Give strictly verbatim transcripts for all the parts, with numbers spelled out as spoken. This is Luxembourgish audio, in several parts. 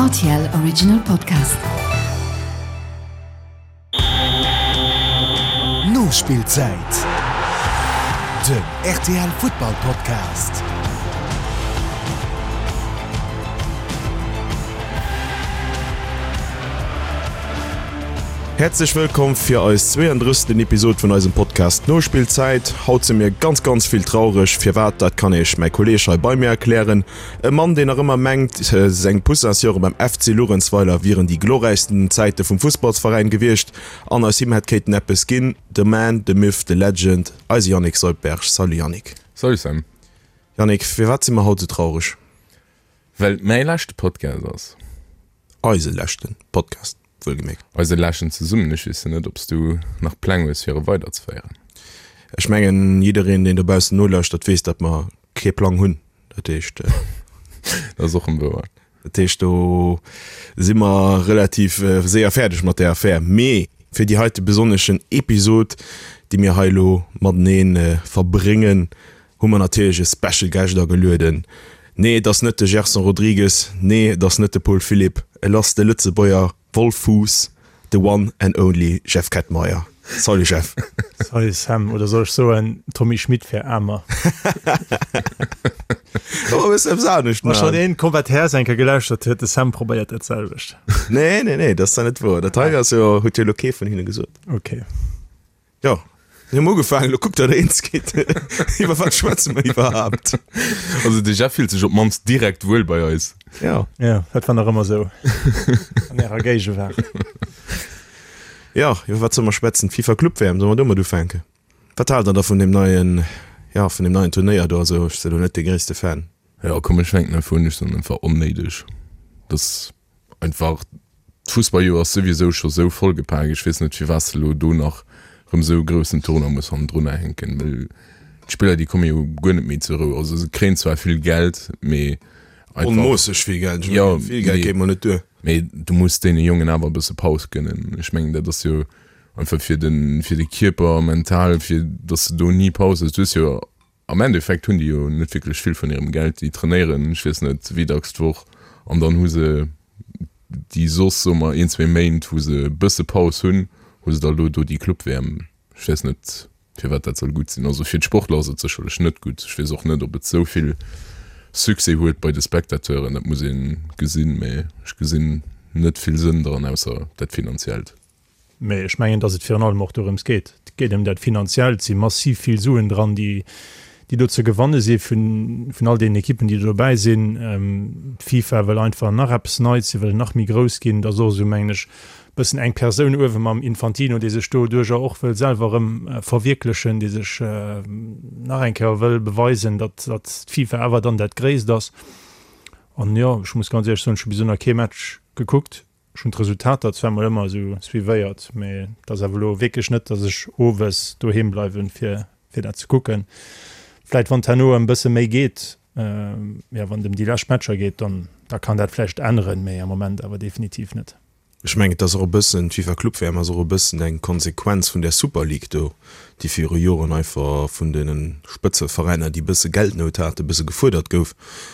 R T L Original Podcast. Nospillzäit, den R T L Futtball Podcast. Häerzlech wëllkomm fir eis zweeëndrëssegsten Episod vun eisem Podcast Nospillzäit. Haut si mir ganz ganz vill traureg. Firwat, dat kann iech mäi Kolleeg hei bei mir erklären. E Mann, deen nach ëmmer mengt, seng Poussinsjore beim F C Luerenzweiler wieren déi glorräichsten Zäite vum Fussballsveräin gewiescht an aus him hätt kéinten eppes ginn. The man, the myth, the legend, eise Yannick Soldberg. Salut Yannick. Salut Sam. Yannick, firwat si mer haut esou traureg? Well et mäi leschte Podcast ass. Eise leschten Podcast, wuelgemierkt. Eise leschten zesummen. Ech weess jo net, ob s du nach Pläng hues, fir e weiderzeféieren. Ech mengen, jiddereen, deen dobaussen nolauschtert, weess, datt mer kee Plang hunn. Dat heescht. Dat ass och erëm wouer. Dat heescht, do si mer relativ séier fäerdeg mat där Affär. Mee fir déi heite besonneschen Episod, déi mir hei elo matenee verbréngen, hu mer natierlech e Special Guest agelueden. Nee, et ass net de Gerson Rodrigues, nee, et ass net de Paul Philipp, et ass de Lëtzebuerger Wolf Fuss, the one and only Jeff Kettmeyer. Salut Jeff. Salut Sam, oder soll ech soen Tommy Schmitt fir Aarmer? Oh, wëss eppes anescht Wa schonn man. een Combat Häerz eng Kéier gelauschtert huet, de Sam probéiert dat selwecht. Nee, nee, nee, dat ass da net wouer. Dat hei ass jo, huet jo elo kee vun hinne gesot. Okay. Jo, mir hunn ugefaangen, elo kuckt, datt der eens gitt. Iwwer wat schwätze mer iwwerhaapt? Also de Jeff fillt sech op d'mannst direkt wuel bei eis. Ja. Ja, dat war nach ëmmer esou an ärer Géigewaart. Ja, iwwer wat solle mer schwätzen? D'FIFA Club W M, solle mer domat ufänken? Wat haalt der da vun deem neien, ja, vun deem neien Turnéier do? Also ech sinn elo net dee gréisste Fan. Jo, komm ech fänken einfach un, ech soen einfach onnéideg. Dass einfach d'Fussballjoer ass souwisou scho sou vollgepak, ech weess net firwat s de elo do nach erëm esou e groussen Tournoi muss hannendrunner hänken, well d'Spiller déi komme jo guer net méi zur Rou. Also se kréien zwar vill Geld, mee einfach, Onmoosseg vill Geld, ech jo, mengen vill Geld mee geet mol net duer. mee du muss deene Jongen awer e bësse Paus gënnen. Ech mengen dat ass jo einfach fir de fir de Kierper, mental, fir datt s de do ni Paus hues. Du hues jo am Endeffekt hunn déi jo net wierklech vill vun hirem Geld, déi trainéieren ech weess net wéi dacks d'Woch an dann hu se déi soss, soe mer, een, zwee Méint, wou se e bësse Paus hunn, hu se da elo do déi Club-W M. Ech weess net, firwat dat soll gutt sinn. Also fir d'Sportler ass et sécherlech net gutt. Ech weess och net, ob et esou vill Succès huet bei de Spectateuren, dat muss ee gesinn, mä ech gesinn net vill Sënn dran, ausser dat Finanziellt. Mee ech mengen, datt et virun allem och dorëms geet. Et geet ëm dat Finanziellt. Et si massiv vill Suen dran, déi, déi do ze gewanne si vun, vun all deenen Ekippen, déi do dobäi sinn. D'FIFA wëll einfach nach eppes Neits, si wëllen nach méi grouss ginn. Et ass och esou, mengen ech, e bëssen eng Persoun uewe mam Infantino, dee sech doduerjer och wëll selwer erëm verwierklechen, dee sech nach eng Kéier wëll beweisen, datt, datt d'FIFA awer dann dat Gréisst ass. An jo, ech muss ganz éierlech soen, ech hu bis elo nach kee Match gekuckt. Ech hunn d'Resultater zwar mol ëmmer esou suivéiert, mee et ass awer elo wierklech net, datt ech owes doheem bleiwen, fir fir dat ze kucken. Vläit wann et herno ëm bësse méi geet, jo wann et ëm déi lescht Matcher geet, dann da kann dat vläicht änneren, mee am Moment awer definitiv net. Ech mengen, et ass och e bëssen, d'FIFA Club W M ass och e bëssen eng Konsequenz vun där Super League do, déi viru Joren einfach vun deene Spëtzeveräiner, déi e bësse Geldnout haten, e bësse gefuerdert gouf,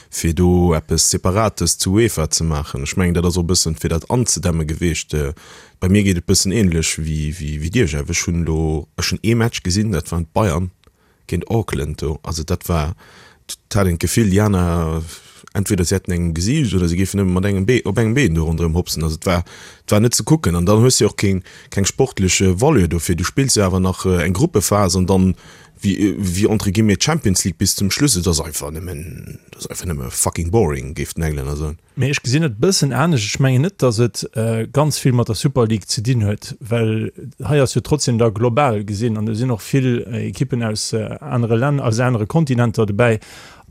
fir do eppes Separates zu UEFA ze maachen. Ech mengen, dat ass och e bëssen, fir dat anzedämme gewiescht. Bei mir geet et e bëssen ähnlech wéi dir, Jeff. Ech hunn elo, ech hunn ee Match gesinn, dat waren d'Bayern géint Auckland do. Also dat war, et hat een d'Gefill, déi aner, entweder se hätten engem gesicht oder se géifen nëmme mat engem Bee, op engem Been do ronderëm hopsen. Also et war, et war net ze kucken. An dann hues de jo och keng, keng sportlech Valeur dofir. Du spills jo awer nach eng Gruppephas an dann, wéi, wéi entre guillemets d'Champions League bis zum Schluss. Et ass einfach nëmmen, et ass einfach nëmme fucking boring, géif den Englänner soen. Mee ech gesinn et e bëssen anescht. Ech mengen net, datt et ganz vill mat der Super League ze dinn huet, well hei ass jo trotzdem da global gesinn an do sinn och vill Ekippen aus anere Länner, aus anere Kontinenter dobäi.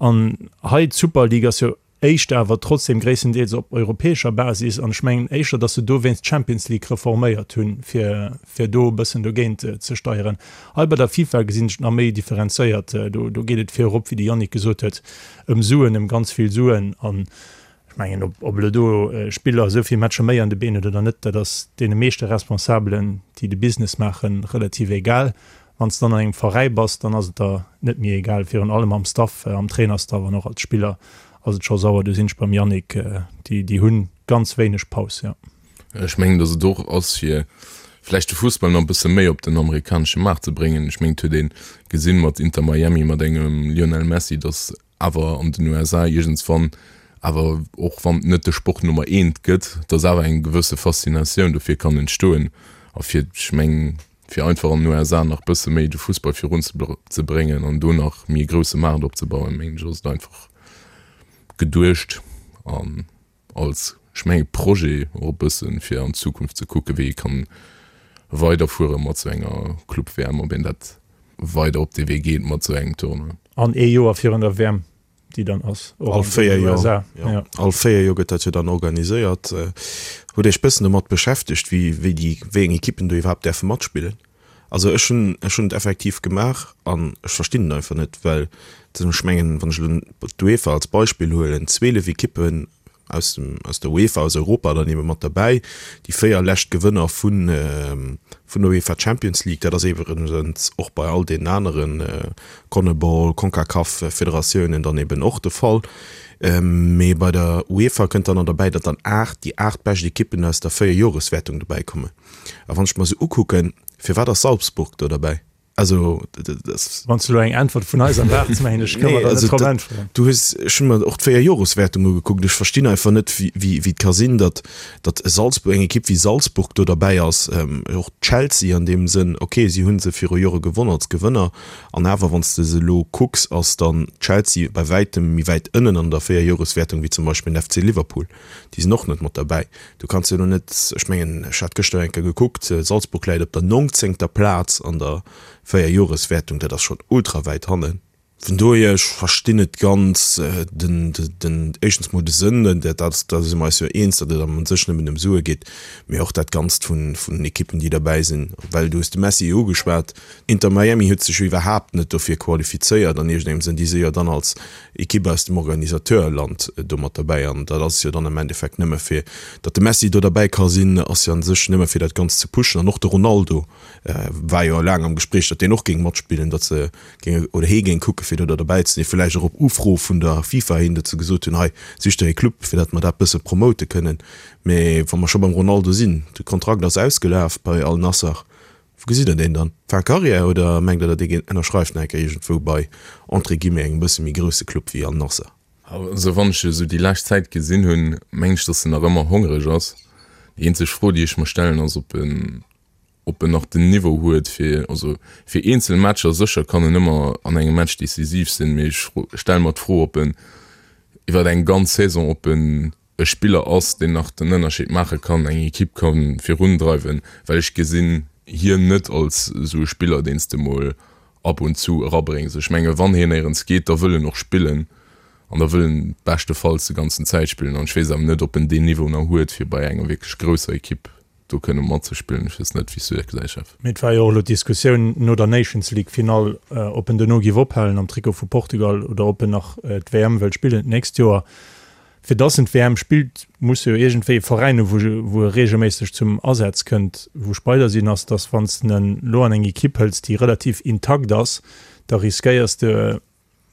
An hei d'Super League ass jo éischter awer trotzdem gréisstendeels op europäescher Basis an ech mengen éischter, datt se dowéinst d'Champions League reforméiert hunn, fir fir do e bëssen dogéint ze steieren. Hei bei der FIFA gesinn ech et nach méi differenzéiert. Do do geet et virop, wéi de Yannick gesot huet, ëm Suen, ëm ganz vill Suen an ech mengen, ob ob elo do Spiller esou vill Matcher méi an de Been huet oder net, dat ass deene meeschte Responsabelen, déi de Business maachen, relativ egal. Wann s de dann an engem Veräi bass, dann ass et der net méi egal. Virun allem am Staff, am Trainerstaff an och als Spiller ass et scho sauer. Do sinn ech beim Yannick, déi déi hunn ganz wéineg Paus, jo. Ech mengen, datt et och ass, fir vläicht de Fussball nach e bësse méi op den amerikanesche Maart ze bréngen. Ech mengen, et huet ee gesinn mat Inter Miami, mat engem Lionel Messi, datt awer an den U S A iergendswann awer, och wann et net de Sport Nummer eent gëtt, datt awer eng gewësse Faszinatioun dofir kann entstoen. A fir, ech mengen, fir einfach an den U S A nach bësse méi de Fussball virun ze bréngen an do nach méi e grousse Maart opzebauen, mengen ech, ass et einfach geduecht an als, ech mengen, Projet och e bëssen, fir an d'Zukunft ze kucken, wéi ee kann weiderfuere mat esou enger Club-W M, ob een dat weider op dee Wee geet mat esou engem Tournoi. An ee Joer virun der W M, déi dann ass, och All an den véier Joer, U S A, jo. Ja. All véier Joer gëtt dat jo dann organiséiert. Hutt Iech bëssen domat beschäftegt, wéi, wéi déi, wéi eng Ekippen do iwwerhaapt däerfe matspillen? Also ech hunn, ech hunn et effektiv gemaach an ech verstinn et einfach net, well ech mengen, wann ech elo d'UEFA als Beispill huelen, zwielef Ekippen aus dem, aus der UEFA, aus Europa dann ebe mat derbäi, déi véier lescht Gewënner vun, vun der UEFA Champions League, dat ass iwwregens och bei all deenen aneren Conmebol, Concacaf Federatiounen dann eben och de Fall. Mee bei der UEFA kënnt dann nach derbäi, datt dann aacht, déi aacht bescht Ekippen aus der Véierjoreswäertung dobäi kommen. A wann ech mer esou ukucken, firwat ass Salzburg do derbäi? Also, dat ass. Wann s de elo eng Äntwert vun eis erwaarts, mengen ech, kënne mer der net drop äntweren. Du hues, ech hu mer och d'Véierjoreswäertung ugekuckt. Ech verstinn einfach net, wéi, wéi, wéi et ka sinn, datt, datt e Salzburg, eng Ekipp wéi Salzburg do derbäi ass. Och Chelsea an deem Sënn, okay, si hu se viru Jore gewonn als Gewënner. An awer, wann s de se elo kucks, ass dann Chelsea bei wäitem méi wäit ënnen an der Véierjoreswäertung wéi zum Beispill den F C Liverpool. Déi sinn och net mat derbäi. Du kanns jo elo net, ech mengen, ech hat gëschter eng Kéier gekuckt, Salzburg läit op der nongzéngter Plaz an der Véierjoreswäertung, dat ass schonn ultra wäit hannen. Vun dohier, ech verstinn net ganz den, den, éischtens mol de Sënn, dat, da si mer eis jo eens, datt et am un sech nëmmen ëm Sue geet, mee och dat Ganzt vun, vun den Ekippen, déi derbäi sinn. Well du hues de Messi jo ugeschwat, Inter Miami huet sech jo iwwerhaapt net dofir qualifizéiert an iergendengem Sënn, déi si jo dann als Ekipp aus dem Organisateurland do mat derbäi. An dat ass jo dann am Endeffekt nëmme fir, datt de Messi do derbäi ka sinn, ass jo an sech nëmme fir dat Ganzt ze pushen. An och de Ronaldo war jo laang am Gespréich, datt deen och géing matspillen, datt se géinge oder hee géing kucke fir do da derbäi ze sinn, villäicht och op Ufro vun der FIFA hin, datt se gesot hunn, hei sicht der ee Club, fir datt mer dat bësse promote kënnen. Mee wa mer scho beim Ronaldo sinn, de Kontrakt ass ausgelaf bei Al Nassr, wou gesitt der deen dann? Fin Carrière oder mengt der, datt dee ënnerschreift nach eng Kéier iergendwou bei entre guillemets engem bësse méi grousse Club wéi Al Nassr? Also wann ech esou déi lescht Zäit gesinn hunn, mengen ech, datt en nach ëmmer hongreg ass. Déi eenzeg Fro, déi ech mer stellen, ass, ob en ob en nach den Niveau huet fir, also fir eenzel Matcher sécher kann en ëmmer an engem Match decisiv sinn, mee ech stelle mer d'Fro, ob en iwwer eng ganz Saison, ob en e Spiller ass, deen nach den Ënnerscheed maache kann, eng Ekipp ka virundreiwen, well ech gesinn hien net als esou e Spiller, deen s de mol ab und zu erabréngs. Ech menge wann hien néierens geet, da wëll en och spillen an da wëll en beschtefalls de ganzen Zäit spillen an ech weess awer net, ob en deen Niveau nach huet, fir bei enger wierklech grousser Ekipp do kënne matzespillen. Ech weess net, wéi s du dat gesäis, Jeff. Mee et war jo och elo d'Diskussioun no der Nations League Finall, ob en duerno géif ophalen am Trikot vu Portugal oder ob en nach d'W M wëllt spillen d'nächst Joer. Fir dass en d'W M spillt, muss e jo iergendwéi e Veräin hu wou e reegelméisseg zum Asaz kënnt. Wou ech bei der sinn, ass, dass wann s de en elo an eng Ekipp hëls, déi relativ intakt ass, da riskéiers de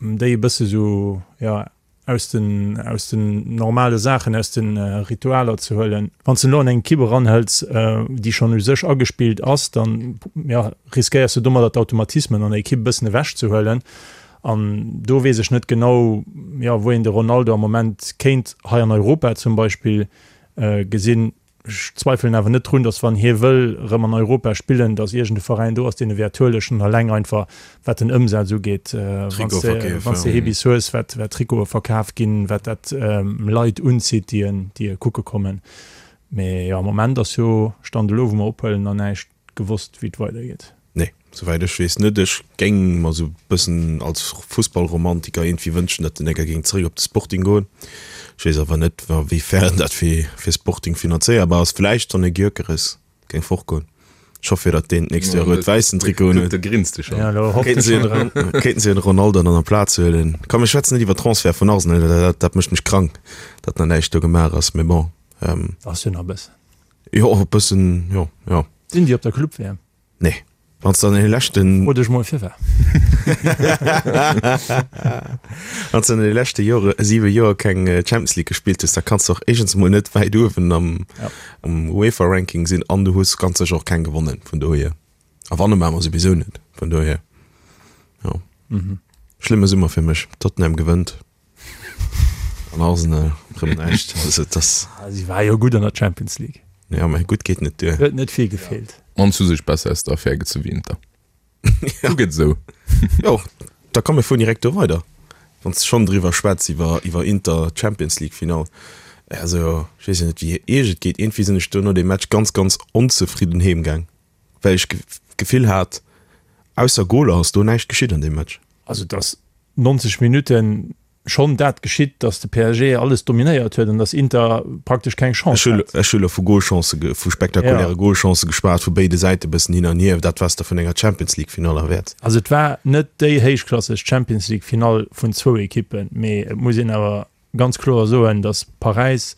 déi e bësse sou, jo, aus den, aus den normale Saachen, aus den Ritualer ze huelen. Wann s de elo an eng Ekipp eranhëls, déi schonn u sech agespillt ass, dann, jo, riskéiers de domadder d'Automatismen an der Ekipp e bëssen ewechzehuelen. An do weess ech net genau, jo, wou een de Ronaldo am Moment kéint hei an Europa zum Beispill gesinn. Ech zweifelen awer net drun, datt wann hie wëll erëm an Europa spillen, datt iergend e Veräin do ass, deen e wäert huelen, schonn eleng einfach wat den Ëmsaz ugeet, wann s de, wann s de hee bis hues, wat, wat Trikote verkaf ginn, wat dat Leit unzitt, déi en, déi e kucke kommen. Mee jo, am Moment ass jo, Stand elo, wou mer ophuelen, nach näischt gewosst, wéi et weidergeet. Nee, souwäit ech weess net. Ech géing mer sou bëssen als Fussballromantiker iergendwéi wënschen, datt den Egger géing zeréck op de Sporting goen. Ech weess awer net, a wéi fern dat fir fir Sporting finanzéierbar ass. Vläicht wann e Gyökeres géing fortgoen. Ech hoffe jo, datt deen d'nächst Joer rout-wäissen Trikot unhuet. Da grinst de schonn. Ja, elo hofft Kéinten e se schonn dran. Kéinten se den Ronaldo dann amplaz huelen. Komm, mir schwätzen net iwwer Transfert vun Arsenal, dat dat mécht mech krank, datt nach näischt do gemaach ass. Mee bon. Ass jo nach e bëssen. Jo, e bëssen, jo, jo. Sinn déi op der Club-W M? Nee, Wann s de an deene leschten. Fro dech mol firwat. Wann s de an deene leschte Jore, siwe Joer keng Champions League gespillt hues, da kanns de och éischtens emol net wäit uewen am UEFA-Ranking sinn an du hues ganz sécher och keng gewonnen, vun dohier. A wanne maache mer souwisou net, vun dohier, jo. Schlëmme Summer fir mech. Tottenham gewënnt an Arsenal rëm näischt. Also et ass. Si war jo gutt an der Champions League. Jo, mä gutt geet net duer. Huet net vill gefeelt. An hu sech besser aus der Affär gezu wéi Inter. Du gëtt esou. Jo, da komm mir fueren direkt do weider, wann s de schonn driwwer schwätz, iwwer iwwer Inter Champions League Finall. Also ech weess jo net wéi iech et geet, iergendwéi sinn ech do no deem Match ganz ganz onzefridden heem gaang, well ech d'Gefill hat, ausser Goler ass do näischt geschitt an deem Match. Also et ass neunzeg Minutten schonn dat geschitt, datt de P S G alles dominéiert huet an datt Inter praktesch keng Chance hat. Ech hu elo vu Golchancë, vu spektakuläre Golchancë geschwat, vu béide Säite bëssen hin an hier, dat wat s de vun enger Champions League Finall erwäerts. Also et war net déi héichklasseg Champions League Finall vun zwou Ekippen, mee et muss een awer ganz kloer soen, datt Paräis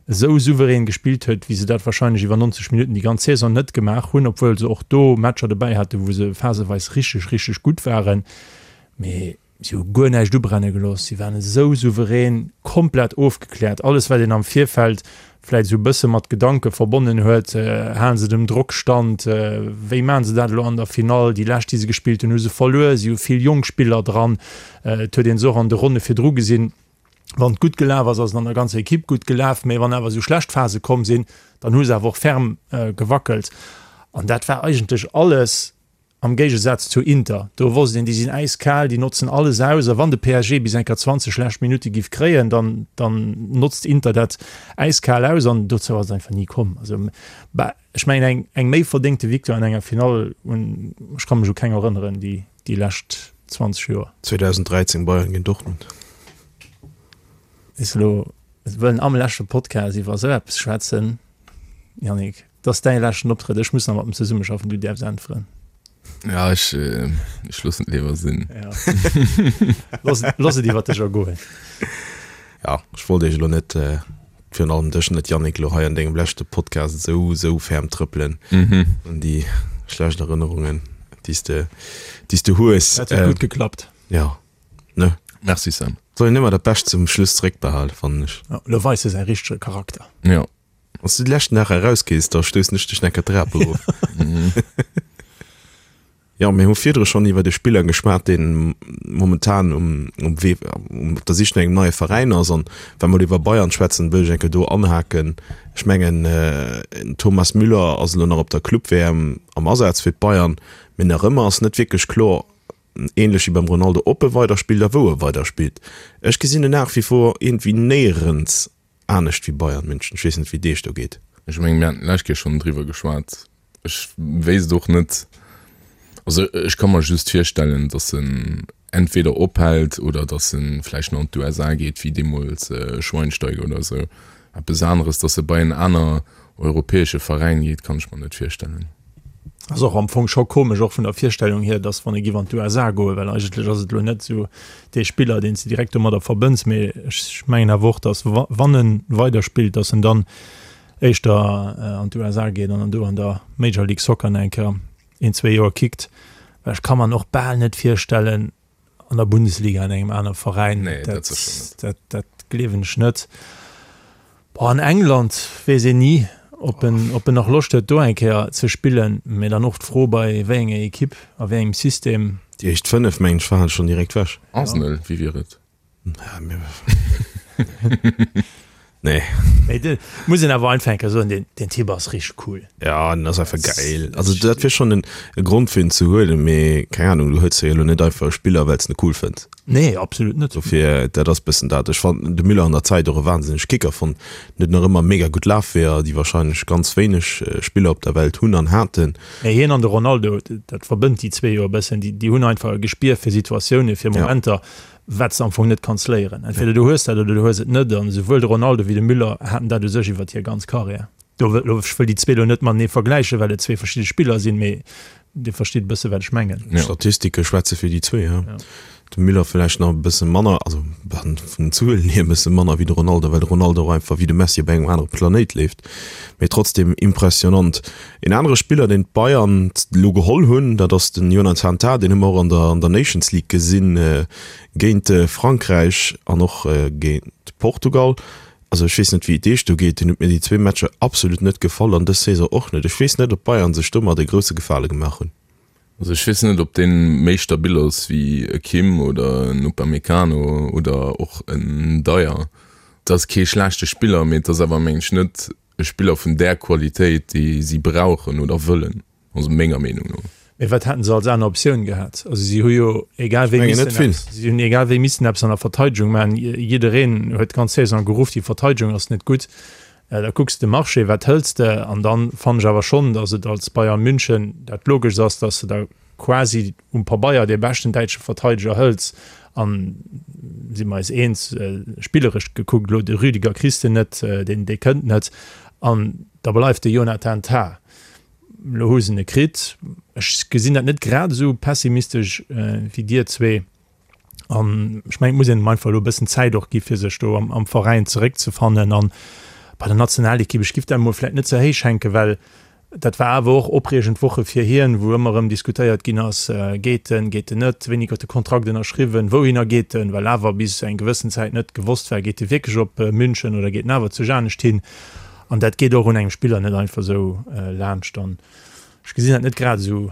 esou souverän gespillt huet, wéi se dat warscheinlech iwwer neunzeg Minutten déi ganz Saison net gemaach hunn, obwuel se och do Matcher dobäi haten, wou se phaseweis richteg, richteg gutt waren. Mee si hu guer näischt ubrenne gelooss, si waren esou souverän, komplett ofgekläert. Alles, wat een am Virfeld vläicht esou e bësse mat Gedanke verbonnen huet, halen se dem Drock stand, wéi maachen se dat elo an der Finall, déi lescht, déi se gespillt hunn, hu se verluer, si hu vill jonk Spiller dran, et huet ee se och an de Ronne virdru gesinn, wann et gutt gelaf ass, ass et an der ganzer Ekipp gutt gelaf, mee wann awer esou schlecht Phase komm sinn, dann hu se awer och ferm gewackelt. An dat war eigentlech alles am Géigesaz zu Inter. Do wosst een, déi sinn äiskal, déi notzen alles aus. A wann de P S G bis eng Kéier zwanzeg schlecht Minutte giff kréien, dann, dann notzt Inter dat äiskal aus. An dozou ass et einfach ni komm. Also, bah, ech mengen, eng, eng méi verdéngte Victoire an enger Finall hunn, ech ka mech u keng erënneren, déi, déi lescht zwanzeg Joer. zweedausenddräizéng Bayern géint Dortmund. Is elo, wëllen am leschte Podcast iwwer esou eppes schwätzen, Yannick? Et ass däi leschten Optrëtt, ech muss nach mat em zesummeschaffen, du däerfs äntweren. Ja, ech, ech loossen et léiwer sinn. Ja. Looss, looss et iwwer dech ergoen. Ja, ech wollt iech elo net, virun allem dech net, Yannick, elo hei an dengem leschte Podcast esou, esou ferm trëppelen un déi schlecht Erënnerungen, déi s de, déi s de hues. Dat huet gutt geklappt. Ja, ne? Merci, Sam. Soll een ëmmer dat Bescht zum Schluss zeréckbehalen, fannen ech. Ja, elo weist e säi richtege Charakter. Ja. Wann s du de leschten Dag erausgees, da stoussen ech dech necker d'Trap erof. Jo, mir hu virdru schonn iwwert e Spiller geschwat, deen momentan um um Wee op der Sich no engem neie Veräin ass. An wa mer iwwer Bayern schwätzen, wëll ech eng Kéier do anhaken. Ech mengen, den Thomas Müller ass elo nach op der Club-W M am Asaz fir d'Bayern, mee nach ëmmer ass net wierklech kloer, ähnlech wéi beim Ronaldo, ob e weiderspillt a wou e weiderspillt. Ech gesinn en nach wie vor iergendwéi néierens anescht wéi Bayern München. Ech weess net, wéi et Iech do geet. Ech mengen, mir haten d'lescht Kéier schonn driwwer geschwat. Ech wéisst och net, also ech ka mer just virstellen, datt en entweder ophält oder datt e vläicht nach an d'U S A geet, wéi deemools Schweinsteiger oder esou. Eppes aneres, datt e bei en aner europäesche Veräin geet, kann ech mer net virstellen. Ass och am Fong scho komesch, och vun der Virstellung hier, dass wann e giff an d'U S A goen, well eigentlech ass et elo net esou dee Spiller, deen s de direkt domadder verbënns, mee ech mengen awer och, dass wann e weiderspillt, dass en dann éischter an d'U S A geet an dann do an der Major League Soccer nach eng Kéier een, zwee Joer kickt, well ech ka mer en och bal net virstellen an der Bundesliga an engem aner Veräin. Nee, dat sécher net. Dat, dat gleewen ech net. Boah, an England weess een ni, ob en, ob en nach Loscht huet, do eng Kéier ze spillen. Mee dann och d'Fro, bei wéi enger Ekipp, a wéi engem System. Déi éischt fënnef, mengen ech, waren schonn direkt wech. Arsenal, wéi wier et? Ja, mir. Nee. Mee de, muss een awer einfach eng Kéier soen, deen, deen Typ ass richteg cool. Ja, den ass einfach geil. Also dat wier schonn en e Grond fir en ze huelen, mee keng Ahnung, du huels jo elo net einfach e Spiller, well s de en cool fënns. Nee, absolut net. Dofir, dat ass bëssen dat. Ech fannen de Müller an der Zäit och e wahnsinneg Kicker fonnt. En huet nach ëmmer mega gutt Lafweeër, déi wahrscheinlech ganz wéineg Spiller op der Welt hunn an haten. Mee hien an de Ronaldo, dat verbënnt déi zwee jo e bëssen, déi, déi hunn einfach e Gespier fir Situatiounen, fir Momenter, wat s de am Fong net kanns léieren. Entweder du hues dat oder du hues et net. An esouwuel de Ronaldo wéi de Müller haten dat u sech iwwert hir ganz Karriär. Do wëll, ech wëll déi zwee elo net matenee vergläichen, well et zwee verschidde Spiller sinn, mee Dir verstitt e bësse wat ech mengen. D'Statistike schwätze fir déi zwee, ja. De Müller vläicht nach e bësse manner, also vun den Zuelen hier e bësse manner wéi de Ronaldo, well de Ronaldo och einfach wéi de Messi op engem anere Planéit leeft, mee trotzdem impressionant. Een anere Spiller, deen d'Bayern elo geholl hunn, dat ass den Jonathan Tah, deen hu mer och an der an der Nations League gesinn géint Frankräich an och géint Portugal. Also ech weess net wéi et Iech do geet, deen huet mir déi zwee Matcher absolut net gefall an dës Saison och net. Ech weess net, ob d'Bayern sech domat e grousse Gefale gemaach hunn. Also ech weess net, ob deen méi stabil ass wéi e Kim oder en Upamecano oder och en Dier. Et ass kee schlechte Spiller, mee et ass awer mengen ech net e Spiller vun där Qualitéit déi si brauchen oder wëllen, also menger Meenung no. Mee wat hätten se als aner Optioun gehat? Also si hu jo egal wéi missen eppes, si hunn egal wéi missen eppes an der Verteidegung maachen. Jiddereen huet d'ganz Saison geruff, déi Verteidegung ass net gutt. Da kucks de Marché, wat hëls de? An dann fannen ech awer schonn, datt et als Bayern München dat Logeschst ass, datt s de da quasi um Pabeier dee beschten däitsche Verteideger hëls. An, si mer eis eens, spilleresch gekuckt elo, de Rüdiger kriss de net, deen, dee kënnt net. An da bleift de Jonathan Tah. Elo hu se en kritt. Ech gesinn dat net grad esou pessimistesch wéi dir zwee. An ech mengen, et muss een em einfach elo e bëssen Zäit och gi fir sech do am, am Veräin zeréckzefannen. An bei der Nationalekipp, ech giff dat emol vläicht net ze héich hänken, well dat war awer och opreegend Woche fir hien, wou ëmmer erëm diskutéiert ginn ass, geet en, geet en net, wéini gëtt de Kontrakt ënnerschriwwen, wouhinner geet en, well awer bis eng gewëssen Zäit net gewosst war, geet e wierklech op München oder geet en awer zu anescht hin. An dat geet och un engem Spiller net einfach esou laanscht. An ech gesinn dat net grad esou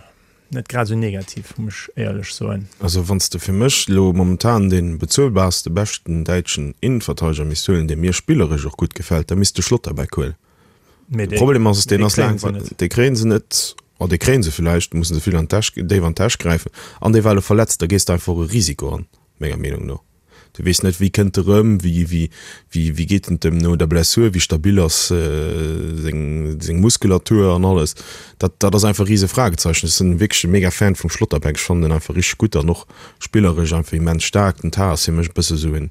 Net grad esou negativ, muss ech éierlech soen. Also wann s de fir mech elo momentan dee bezuelbarste, beschten däitschen Innenverteideger misst huelen, dee mir spilleresch och gutt gefält, da misst de Schlotterbeck huelen. Mee De Problem ass, deen ass laang, dee kréien se net, oh dee kréien se villäicht, mussen se vill an d'Täsch, déif an d'Täsch gräifen an dee war elo verletzt, da gees de einfach e Risiko an, menger Meenung no. Du weess net, wéi kënnt e rëm, wéi, wéi, wéi, wéi geet et em no der Blessur, wéi stabil ass seng, seng Muskulatur an alles. Dat, dat ass einfach e rise Fragezeichen. Ech sinn wierklech e mega Fan vum Schlotterbeck, ech fannen en einfach richteg gutt an och spilleresch einfach immens staark. Den Tah ass fir mech e bësse sou en,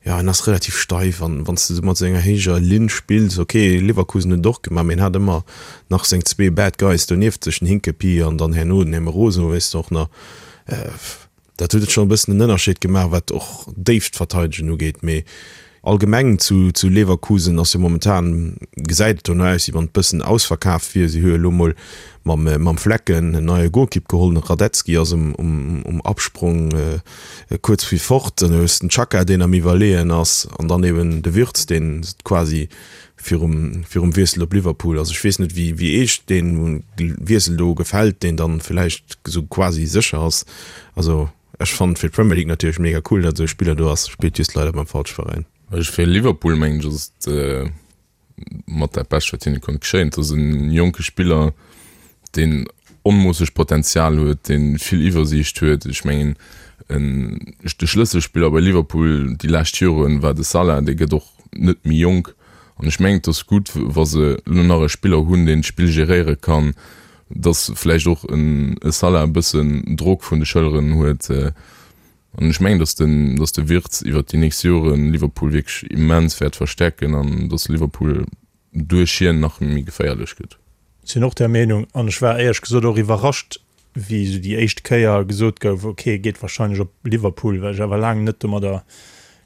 jo, en ass relativ steif an wann s de sou mat senger héijer Linn spills, ok, Leverkusen huet et och gemaach, mee en hat ëmmer nach seng zwee Bad Guys do nieft sech, den Hincapié an dann herno den Hermoso, weess de och nach. Dat huet et schonn e bëssen en Ënnerscheed gemaach, wat och d'Déift verteidegen ugeet. Mee allgemeng zu zu Leverkusen ass jo momentan, gesäit et dono aus, wéi wann et bëssen ausverkaaft wier. Si hu jo elo mol mam mam Flecken en neie Golkipp geholl, den Hradecky ass um um um Absprong kuerz fir fort. Dann hues den Xhaka, deen am Iwwerleeën ass, an dann eben de Wirtz, deen quasi virum virum Wiessel op Liverpool. Also ech weess net, wéi wéi Iech dee Wiessel do gefält, deen dann villäicht esou quasi sécher ass. Also ech fannen fir d'Premier League natierlech mega cool, datt esou e Spiller do ass, spillt just leider beim falsche Veräin. Also fir Liverpool mengen ech ass et mat dat Bescht wat hinne konnt geschéien. Et ass e jonke Spiller, deen onmoosseg Potenzial huet, dee vill Iwwersiicht huet. Ech mengen en de Schlësselspiller bei Liverpool déi lescht Joren war de Salah, dee gëtt och net méi jonk an ech mengen et ass gutt wa se elo nach e Spiller hunn deen d'Spill geréiere kann, datt vläicht och en Salah e bëssen Drock vun de Schëlleren huet an ech mengen datt den datt de Wirtz iwwert déi nächst Joren Liverpool wierklech immens wäert verstäerken an datt Liverpool duerch hien nach méi geféierlech gëtt. Sinn och där Meenung an ech war éierlech gesot och iwwerrascht wéi esou déi éischt Kéier gesot gouf, ok e geet wahrscheinlech op Liverpool, well ech awer laang net domadder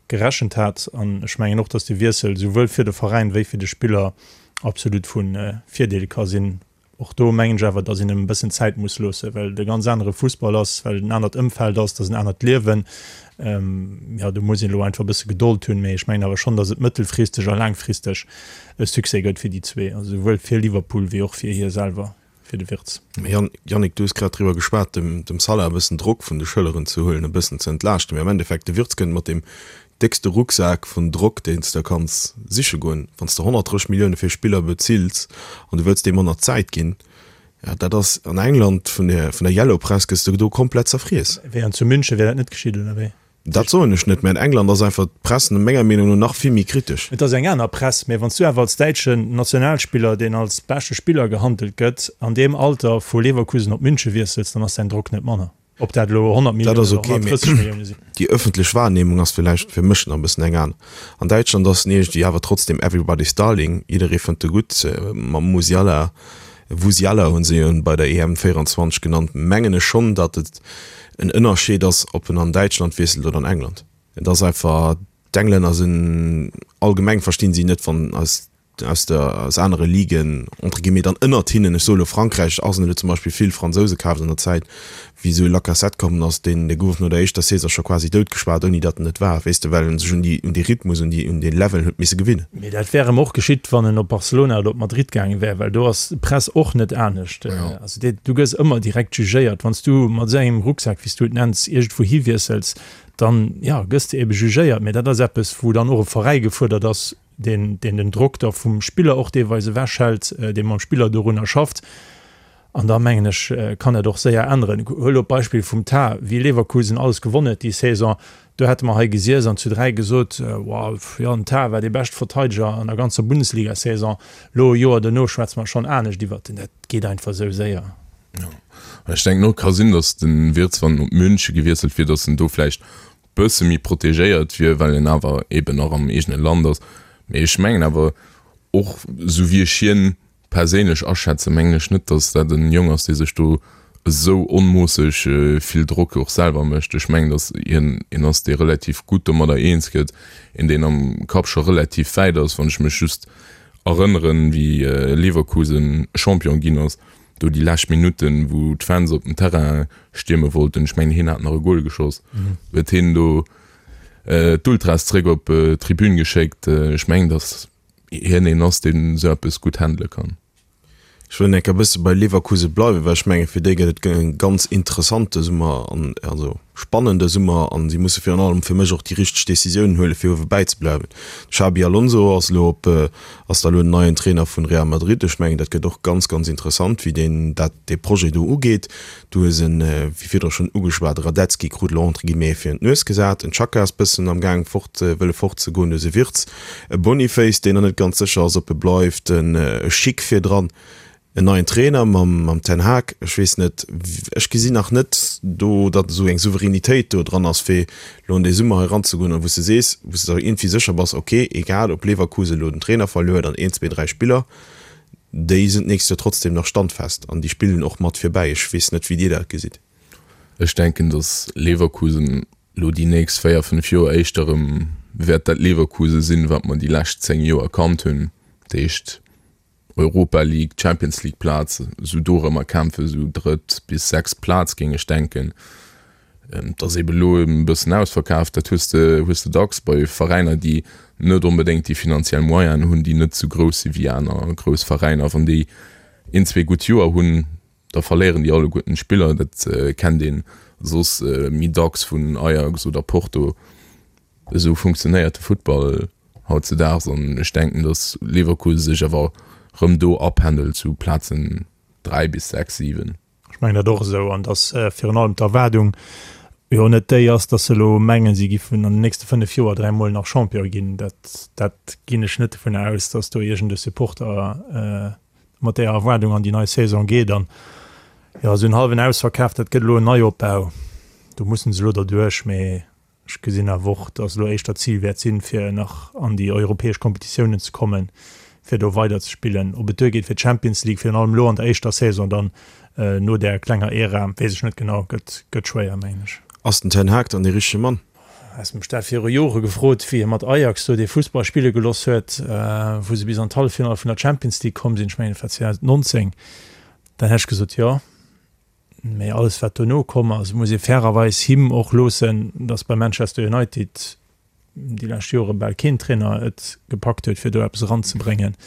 gerechent hat. An ech mengen och, datt de Wiessel souwuel fir de Veräin wéi fir de Spiller absolut vu Virdeel ka sinn. Och do mengen ech awer, datt een em e bëssen Zäit muss loossen, well et e ganz anere Fussball ass, well et en anert Ëmfeld ass, et ass en anert Liewen. Jo, do muss een elo einfach e bësse Gedold hunn, mee ech mengen awer schonn, datt et mëttelfristeg a laangfristeg e Succès gëtt fir déi zwee, also souwuel fir Liverpool wéi och fir hie selwer. fir de Wirtz. Yannick, du hues grad driwwer geschwat, dem dem Salah e bëssen Drock vun de Schëlleren ze huelen, e bëssen ze entlaaschten. Mee am Endeffekt, de Wirtz kënnt mat deem déckste Rucksak vun Drock, deen s de kanns siche goen. Wann s de honnertdrësseg Millioune fir e Spiller bezills an du wëlls deem manner Zäit ginn, jo, dat ass an England vun der vun der Yellow Press gëss de do komplett zerfriess. Wéi an zu München wär dat net geschitt, oder wéi? Dat soen ech net, mä an England ass einfach d'Press menger Meenung no nach vill méi kritesch. Et ass eng aner Press, mä wann s du awer als däitschen Nationalspiller, deen als beschte Spiller gehandelt gëtt, an deem Alter vu Leverkusen op München wiessels, dann ass däin Drock net manner, ob dat elo honnert Dat Milliounen ass oder ok, mä honnertdrësseg Millioune sinn. déi ëffentlech Wahrnehmung ass villäicht fir mech nach e bëssen eng aner. An Däitschland ass en iergendwéi awer trotzdem everybody's darling, jidderee fënnt e gutt, mam Musiala, Wusiala hunn se jo en bei der E M véierundzwanzeg genannt, mengen ech schonn, datt et en Ënnerscheed ass, ob en an Däitschland wiesselt oder an England. Et ass einfach, d'Englänner sinn allgemeng, verstinn si net, wann aus aus der aus anere Ligen entre guillemets dann ënnert hinnen, ech soe lo Frankräich, Arsenal huet zum Beispill vill Fransouse kaaft an der Zäit, wéi esou e Lacazette kommen ass, deen dee gouf no der éischter Saison scho quasi doutgeschwat, ouni datt en et war, weess de, well en sech un déi un dee Rhythmus, un déi un dee Level huet misse gewinnen. Mee dat wär em och geschitt, wann en op Barcelona oder op Madrid gaange wär, well do ass d'Press och net anescht. Also dee du gëss ëmmer direkt jugéiert, wann s du mat esou engem Rucksak, wéi s du et nenns, iergendwou hiwiessels, dann, jo, gëss de ebe jugéiert. Mee dat ass eppes, wou dann och e Veräi gefuerdert ass, deen deen den Drock da vum Spiller och deelweis ewechhält, dee mam Spiller dorunner schafft. An da mengen ech, kann dat och séier änneren. Huel elo d'Beispill vum Tah, wéi Leverkusen alles gewonn huet déi Saison, do hätte mer hei gesiess an zu dräi gesot, Wow, jo, den Tah war dee beschte Verteideger an der ganzer Bundesliga-Saison. Elo e Joer dono schwätze mer schonn anescht iwwert en. Dat geet einfach esou séier. Jo, ech denken och, ka sinn, datt de Wirtz, wann en op Münche gewiesselt wier, datt en do vläicht bësse méi protegéiert wier, well en awer eben nach am eegene Land ass. Mee ech mengen awer och, esou wéi ech hien perséinlech aschätzen, mengen ech net, datt dat en Jong ass, dee sech do esou onmoosseg vill Drock och selwer mécht. Ech mengen, datt hien een ass, dee relativ gutt domadder eens gëtt, een, deen am Kapp scho relativ wäit ass. Wann ech mech just erënneren, wéi Leverkusen Champion ginn ass, do déi lescht Minutten, wou d'Fans op den Terrain stierme wollten, ech mengen, hien hat nach e Gol geschoss, huet hien do d'Ultras zréck op d'Tribün geschéckt. Ech mengen, datt hien een ass, deen esou eppes gutt handele kann. Ech wëll enk e bësse bei Leverkusen bleiwen, well ech menge fir déi gëtt et e ganz interessante Summer an also spannende Summer an si musse virun allem fir mech och déi richteg Decisiounen huele fir uewe bäizebleiwen. De Xabi Alonso ass elo op ass da elo den neien Trainer vun Real Madrid. Ech mengen dat gëtt och ganz ganz interessant wéi deen dat dee Projet do ugeet. Du hues en, wéi virdru schonn ugeschwat, Radetzky krut elo entre guillemets virun d'Nues gesat, en Xhaka ass bëssen am gaang fort wëlle fortzegoen, du hues e Wirtz, e Boniface deen nach net ganz sécher ass ob e bleift, en Schick virdran. En neien Trainer mam mam Ten Hag, ech weess net, ech gesinn nach net do, datt esou eng Souveränitéit do dran ass, fir elo an dee Summer hei eranzegoen a wou s de sees, wou s de der iergendwéi sécher bass, ok, egal ob Leverkusen elo den Trainer verluer huet an een, zwee, dräi Spiller, déi sinn d'nächst Joer trotzdem nach standfest an déi spillen och mat virbäi. Ech weess net, wéi Dir dat gesitt. Ech denken, datt Leverkusen elo déi nächst véier, fënnef Joer éischter erëm wäert dat Leverkusen sinn, wat mer déi lescht zéng Joer kannt hunn. Dat heescht, Europa League, Champions League Plaz, esou dorëmmer kämpfen, esou drëtt bis sechst Plaz géing ech denken. Et ass ebe lo e bëssen ausverkaaft, dat hues de hues de dacks bei Veräiner, déi net onbedéngt déi finanziell Moyenen hunn, déi net esou grouss si wéi aner grouss Veräiner. Wann déi een, zwee gutt Joer hunn, da verléieren déi alleguerten d'Spiller. Dat kennt ee soss méi dacks vun Ajax oder Porto. Esou funktionéiert de Futtball hautzedaags an ech denken, datt Leverkusen sech awer rëm do apendelt zu Plazen dräi bis sechs, siwen. Ech mengen dat och esou an datt virun allem d'Erwaardung jo net déi ass, datt se elo mengen, si giffen an den nächste fënnef Joer dräi Mol nach Champion ginn. Dat, dat ginn ech net dovunner aus, datt do iergend e Supporter mat där Erwaardung an déi nei Saison geet. An jo, esou en hallwen Ausverkaf, dat gëtt elo en Neiopbau, do mussen se elo derduerch. Mee Ech gesinn awer och, dass elo éischter d'Zil wäert sinn, fir nach an déi europäesch Kompetitiounen ze kommen, fir do weider ze spillen. Ob et duergeet fir d'Champions League, virun allem elo an der éischter Saison dann no där klenger Ära, weess ech net genau. Gëtt, gëtt schwéier, mengen ech. Ass den Ten Hag dann dee richtege Mann? Häss mech dat viru Jore gefrot, wéi hie mat Ajax do dee Fussball spille gelooss huet, wou se bis an d'Halleffinall vun der Champions League komm sinn, ech mengen et war zweedausendnonzéng, dann hätt ech gesot, jo. Mee alles wat dono komm ass, muss ee fairerweis him och loossen, datt bei Manchester United déi lescht Jore bal keen Trainer et gepackt huet, fir do eppes eranzebréngen.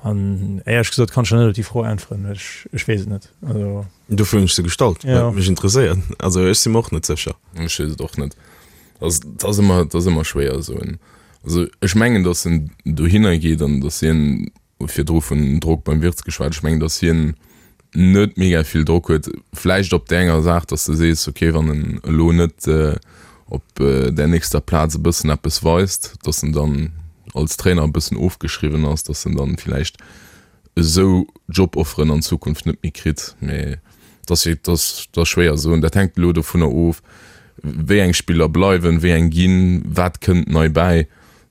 An éierlech gesot kann ech der net op déi Fro äntweren, well ech, ech weess et net. Also. Dofir hunn ech se gestallt, well et mech interesséiert. Also ech si mer och net sécher. Ech weess et och net. Dat ass ëmmer, dat ass ëmmer schwéier esou en, also ech mengen, datt en dohinner geet an datt hien virdru vun Drock beim Wirtz geschwat. Ech mengen, datt hien net mega vill Drock huet. Vläicht op där enger Saach, datt s de sees, okay, wann en elo net op där nächster Plaz e bëssen eppes weist, datt en dann als Trainer e bëssen ofgeschriwwen ass, datt en dann vläicht esou Jobofferen an Zukunft net méi kritt. Mee dat ass, dat ass schwéier ze soen. Dat hänkt elo dovunner of, wéi eng Spiller bleiwen, wéi eng ginn, wat kënnt nei bäi.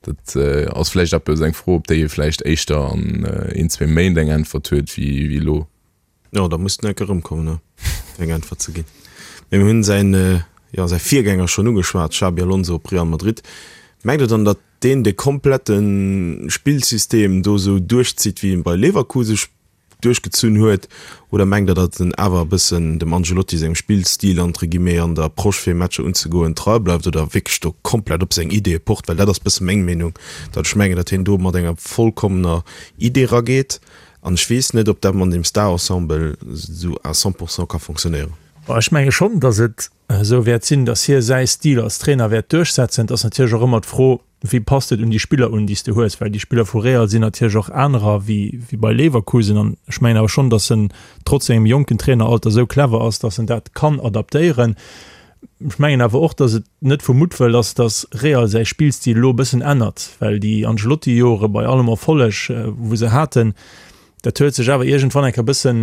Dat ass vläicht eppes, eng Fro, op déi ee vläicht éischter an een, zwee Méint eng Äntwert huet wéi elo. Jo, da muss den Eck erëmkommen, ne, fir eng Äntwert ze ginn. Mee mir hunn säin, jo, säi Virgänger schonn ugeschwat, Xabi Alonso op Real Madrid. Mengt Der dann, datt deen de komplette Spillsystem do esou duerchzitt, wéi en bei Leverkusen duerchgezunn huet? Oder mengt Der, datt en awer e bëssen dem Ancelotti sengem Spillstil, entre guillemets, an der Approche fir Matcher unzegoen, trei bleift oder wierklech do komplett op seng Ideeë pocht? Well dat ass bësse meng Meenung, datt ech mengen, datt hien do mat enger vollkommener Idee rageet an ech weess net, ob dat mat deem Star-Ensemble esou à cent pour cent ka fonctionnéieren. Ech menge schonn, datt et esou wäert sinn, datt hie säi Stil als Trainer wäert duerchsetzen. Et ass natierlech och ëmmer d'Fro, wéi passt et un déi Spiller un, déi s de hues, well déi Spiller vu Real sinn natierlech och anerer wéi bei Leverkusen. An ech mengen awer schonn, datt en trotz sengem jonken Traineralter esou clever ass, datt en dat kann adaptéieren. Ech mengen awer och, datt et net vu Muttwëll ass, datt Real säi Spillstil elo e bëssen ännert, well déi Ancelotti-Jore bei allem Erfolleg, wou se haten, dat huet sech awer iergendwann eng Kéier e bëssen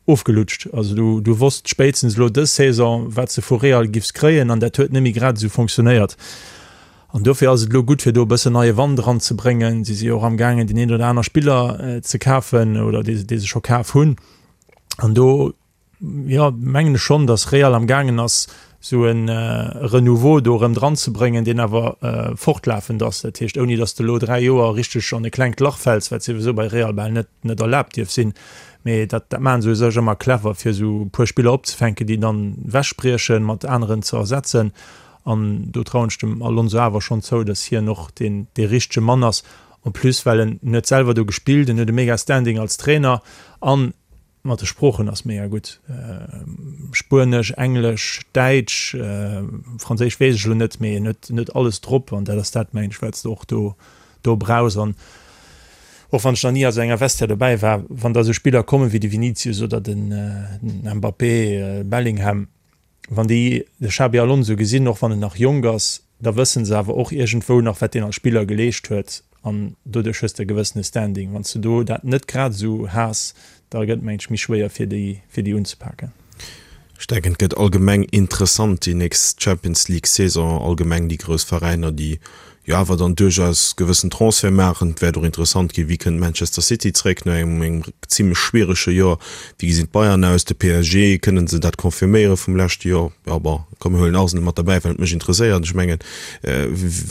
ofgelutscht. Also du, du wosst spéitstens elo dës Saison, wat s de vu Real giffs kréien an dat huet net méi grad esou fonctionnéiert. An dofir ass et elo gutt, fir do e bëssen neie Wand eranzebréngen. Si si jo och amgaangen, deen een oder aner Spiller ze kafen oder dee, dee se scho kaf hunn. An do, jo, mengen ech schonn, datt Real amgaangen ass, esou e Renouveau do erëm dranzebréngen, deen awer fortlafend ass. Dat heescht, ouni datt s de elo dräi Joer richteg an e klengt Lach fäls, wat souwisou bei Real bal net, net erlaabt dierf sinn. Mee dat, dat maache se u sech ëmmer clever, fir esou e puer Spiller opzefänken, déi dann ewechbriechen, mat aneren ze ersetzen. An do trauen ech dem Alonso awer schonn zou, datt hien och deen, dee richtege Mann ass. En plus, well en huet selwer do gespillt, en huet e mega Standing als Trainer an mat de Sproochen ass mega gutt. Spuenesch, Englesch, Däitsch, Franséisch weess ech elo net, mee en huet, en huet alles drop an dat ass dat, mengen ech, wat s de och do, do brauchs. An och wann ech nach ni a sou enger Vestiaire dobäi war, wann da sou Spiller kommen wéi de Vinicius oder den Mbappé, Bellingham, Wann déi de Xabi Alonso gesinn, och wann en nach jonk ass, da wësse se awer och iergendwou nach, wat deen als Spiller geleescht huet an doduerch hues de e gewëssene Standing. Wann s de do dat net grad esou has, da gëtt et, mengen ech, méi schwéier, fir déi, fir déi unzepaken. Ech denken, et gëtt allgemeng interessant déi nächst Champions League Saison, allgemeng déi grouss Veräiner, déi jo awer dann duerchaus gewëssen Transferte maachen. Et wäert och interessant ginn, wéi kënnt Manchester City zréck no engem engem zimlech schwierege Joer, wéi gesinn d'Bayern aus, de P S G, kënnen se dat confirméiere vum leschte Joer? Jo bon, komm mir huelen Arsenal mat derbäi, well et mech interesséiert. Ech mengen,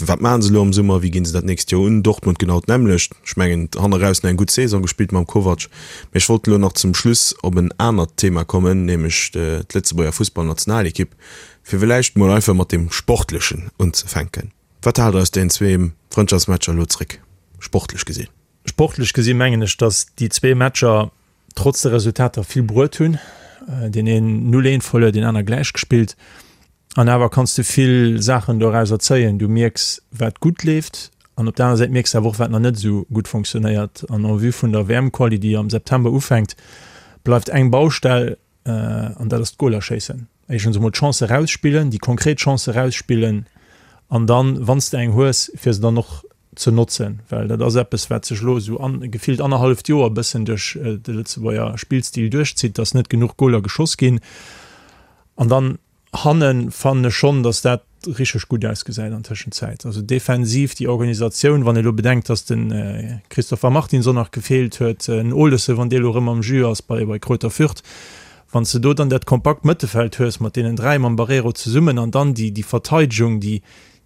wat maachen se elo am Summer, wéi ginn se dat nächst Joer un? Dortmund genau d'nämmlecht. Ech mengen, hanne raus nach eng gutt Saison gespillt mam Kovac. Mee ech wollt elo nach zum Schluss op en anert Thema kommen, nämlech d'Lëtzebuerger Fussballnationalekipp, fir villäicht mol einfach mat deem Sportlechen unzefänken. Wat haalt der aus deenen zwee Frëndschaftsmatcher elo zréck, sportlech gesinn? Sportlech gesi mengen ech, datt déi zwee Matcher trotz de Resultater vill bruet hunn. Deen een null eent verluer, deen aner gläich gespillt. An awer kanns de vill Saachen dorauser zéien. Du mierks, wat gutt leeft an op der aner Säit mierks de awer och, wat nach net esou gutt fonctionnéiert. An en vue vun der W M-Quali, déi am September ufänkt, bleift eng Baustell, an dat ass d'Goler schéissen. Éischtens emol d'Chancë rausspillen, déi konkret Chancë rausspillen an dann, wann s de eng hues, fir se dann och ze notzen. Well dat ass eppes, wat sech elo esou an gefillt annerhalleft Joer e bëssen duerch de Lëtzebuerger Spillstil duerchzitt, dass net genuch Goler geschoss ginn. An dann hannen fannen ech schonn, dass dat richteg gutt ausgesäit an Tëschenzäit. Also defensiv déi Organisatioun, wann ee lo bedenkt, dass de Christopher Martinsson nach gefeelt huet, en Olesen, wann dee lo erëm am Jus ass bei bei Greuther Fürth, wann s de do dann dat kompakt Mëttefeld hues mat deenen dräi, mam Barreiro zesummen an dann déi déi Verteidegung, déi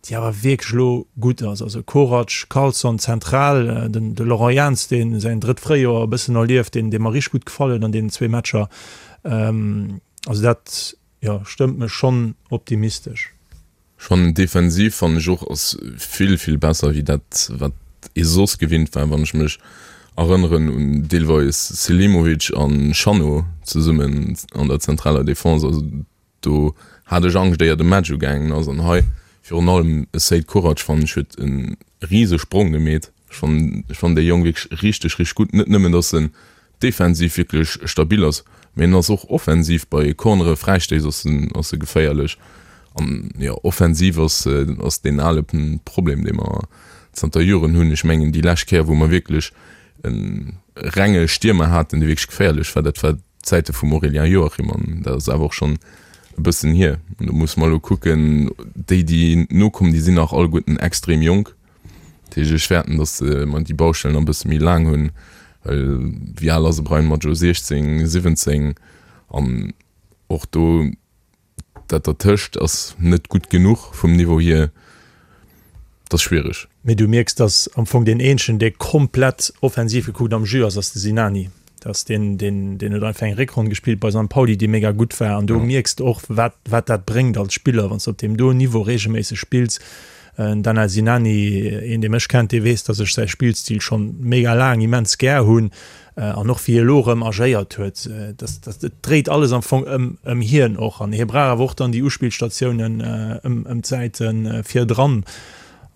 déi awer wierklech elo gutt ass, also Korac, Karlsson zentral, den de Laurent Jans, dee säin drëtt Fréijoer e bëssen erlieft, deen dee mer richteg gutt gefall huet an deenen zwee Matcher. Also dat, jo, stëmmt mech schonn optimistesch. Schonn defensiv fannen ech och ass vill vill besser wéi dat wat ee soss gewinnt war, wann ech mech erënneren un deelweis Selimovic an Chanot zesummen an der zentraler Defense. Also do hat ech Angscht éier de Match ugaangen ass. An hei virun allem e Seid Korac fannen ech huet e rise Sprong gemeet. Ech fannen ech fannen dee Jong wierklech richteg richteg gutt. Net nëmmen datt en defensiv wierklech stabil ass, mee en ass och offensiv bei Cornere, Fräistéiss ass en ass e geféierlech. An jo, offensiv ass ass deen ale Problem, dee mer zanter Joren hunn. Ech mengen déi lescht Kéier, wou mer wierklech e renge Stiermer haten, dee wierklech geféierlech war, dat war d'Zäite vum Aurélien Joachim an dat ass awer och schonn e bëssen hier. An do musse mer elo kucken, déi déi nokommen, déi sinn nach alleguerten extrem jonk. Dat heescht, ech fäerten, datt mer déi Baustell nach e bësse méi laang hunn, well wéi al ass e Bryan Maggio? siechzéng, siwwenzéng? An och do Dat dertëscht ass net gutt genuch vum Niveau hier. Dat ass schwiereg. Mee du mierks, dass am Fong deen eenzegen, dee komplett offensiv gekuckt am Jeu ass, ass de Sinani. Dat ass deen, deen, deen huet einfach eng Réckronn gespillt bei Sankt Pauli, déi mega gutt war. An do mierks de och, wat, wat dat bréngt als Spiller, wann s de op deem do Niveau reegelméisseg spills. Den Danel Sinani, een dee mech kennt, dee weess, dass ech säi Spillstil schonn mega laang immens gär hunn. An och wéi e elo erëm agéiert huet, dass, dass, et dréit alles am Fong ëm, ëm hien och. An hie brauch awer och dann déi Uspillstatiounen ëm, ëm d'Säite virdran.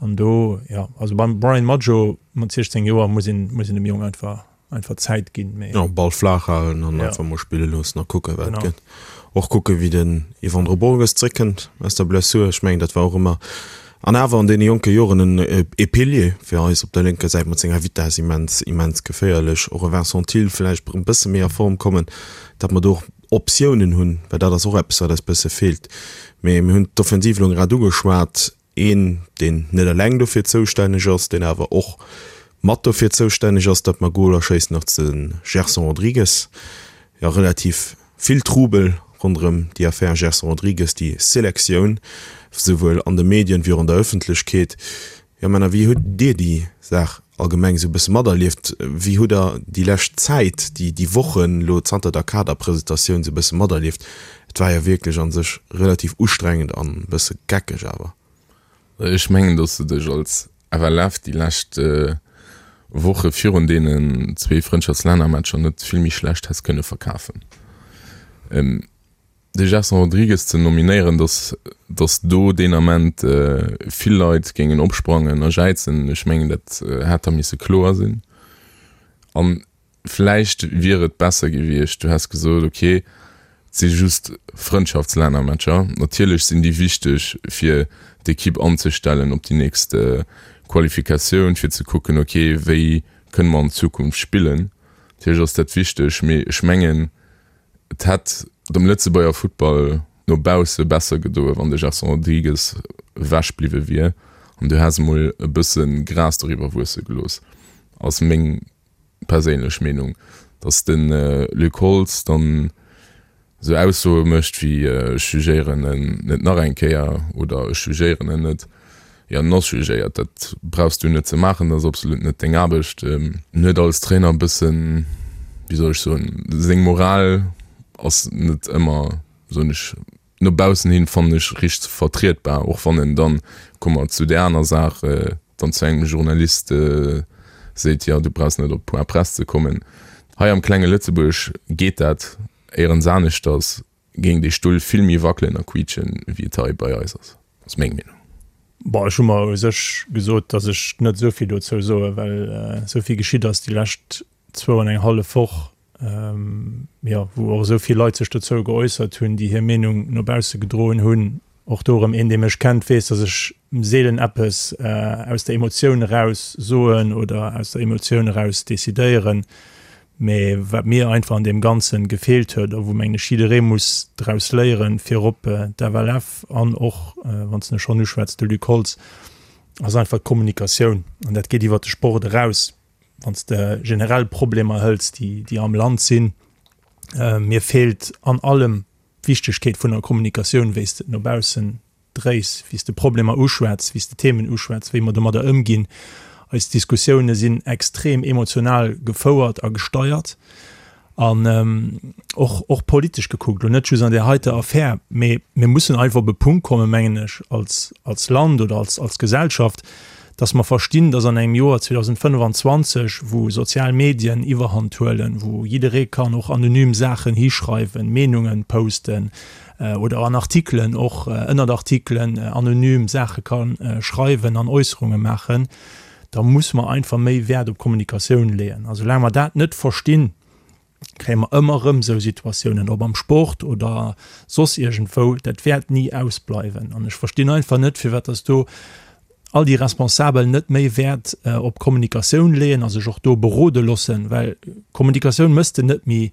An do, jo, also beim Brian Madjo mat siechzéng Joer muss een, muss een dem Jong einfach, einfach Zäit ginn, mee. Jo, Ball flaach halen an einfach mol spille loossen a kucken, wat gëtt. Och kucken, wéi den Yvandro Borges zréckkënnt aus der Blessur. Ech mengen, dat war och ëmmer, an awer an deene jonke Joren, en e Pilier fir eis op der lénker Säit mat senger Vitess, immens, immens geféierlech. Och e Vincent Thill vläicht e bësse méi a Form kommen, datt mer do och Optiounen hunn, well dat ass och eppes, wat eis bësse feelt. Mee mir hunn d'Offensiv elo grad ugeschwat. Een, deen net eleng dofir zoustänneg ass, deen awer och mat dofir zoustänneg ass, datt mer Goler schéissen, ass de Gerson Rodrigues. Jo, relativ vill Trubel ronderëm déi Affär Gerson Rodrigues, déi Selektioun, souwuel an de Medien wéi och an der Ëffentlechkeet. Jo, Männer, wéi hutt Dir déi Saach allgemeng esou e bësse materlieft? Wéi hutt Der déi lescht Zäit, déi, déi Wochen elo zanter der Kaderpresentatioun esou e bësse materlieft? Et war jo wierklech a sech relativ ustrengend an e bësse geckeg awer. Ech mengen, datt s de dech als F L F déi lescht Woche virun deenen zwee Frëndschaftslännermatcher net vill méi schlecht häss kënne verkafen. De Gerson Rodrigues ze nominéieren, datt datt do deen Ament vill Leit géingen opsprangen a jäizen, ech mengen, dat hätt da misse kloer sinn. A vläicht wier et besser gewiescht, du häss gesot, okay, et si just Frëndschaftslännermatcher, natierlech sinn déi wichteg, fir d'Ekipp anzestellen op déi nächst Qualifikatioun, fir ze kucken, okay, wéi kënne mer an Zukunft spillen. Natierlech ass dat wichteg, mee ech mengen, et hätt dem Lëtzebuerger Futtball no bausse besser gedoen, wann de Gerson Rodrigues ewech bliwwe wier an du häss emol e bësse Gras doriwwer wuesse gelooss, ass meng perséinlech Meenung. Datt de Luc Holtz dann esou Aussoe mécht wéi ech jugéieren en net nach eng Kéier oder ech jugéieren en net, jo, en ass jugéiert, dat brauchs du net ze maachen, dat ass absolut net deng Aarbecht. En huet als Trainer e bëssen, wéi soll ech soen, seng Moral ass net ëmmer, soen ech, no baussen hin, fannen ech, richteg vertrietbar, och wann en dann, komme mer zu där aner Saach, dann zu engem Journalist seet, jo, du brauchs net op Point Presse ze kommen. Hei am klenge Lëtzebuerg geet dat éierens aneschters, géing dee Stull vill méi wackelen a quiitschen, wéi et hei bei eis ass, ass meng Meenung. Bon, ech hu mer u sech gesot, datt ech net esou vill dozou soen, well esou vill geschitt ass déi lescht zwou an eng hallef Woch, jo, wou och esou vill Leit sech dozou geäussert hunn, déi hir Meenung no bausse gedroen hunn. Och do erëm, een, dee mech kennt, weess, datt ech seelen eppes aus der Emotioun eraus soen oder aus der Emotioun eraus decidéieren. Mee wat mir einfach an deem Ganzen gefeelt huet a wou, mengen ech, jidderee muss draus léieren, virop d'F L F an och, wann s de schonn uschwätz, de Luc Holtz, ass einfach d'Kommunikatioun. An dat geet iwwert de Sport eraus. Wann s de generell Problemer hëls, déi, déi am Land sinn, mir feelt an allem d'Wichtegkeet vun der Kommunikatioun, wéi s de et no baussen dréis, wéi s de Problemer uschwätz, wéi s de Themen uschwätz, wéi mer domadder ëmginn. Eis Diskussioune sinn extrem emotional gefouert a gesteiert an och, och politesch gekuckt, elo net just an där heiter Affär, mee mir mussen einfach op e Punkt kommen, mengen ech, als, als Land oder als, als Gesellschaft, dass mer verstinn, dass an engem Joer zweedausendfënnefanzwanzeg, wou sozial Medien Iwwerhand huelen, wou jidderee kann och anonym Saachen hischreiwen, Meenungen posten oder an Artikelen och ënnert Artikelen anonym Saache ka schreiwen an Äusserunge maachen, da muss mer einfach méi Wäert op Kommunikatioun leeën. A soulaang mer dat net verstinn, kréie mer ëmmer erëm esou Situatiounen, ob am Sport oder soss iergendwou, dat wäert ni ausbleiwen. An ech verstinn einfach net, firwat dass do all déi Responsabel net méi Wäert op Kommunikatioun leeën a sech och do berode loossen, well Kommunikatioun mëss de net méi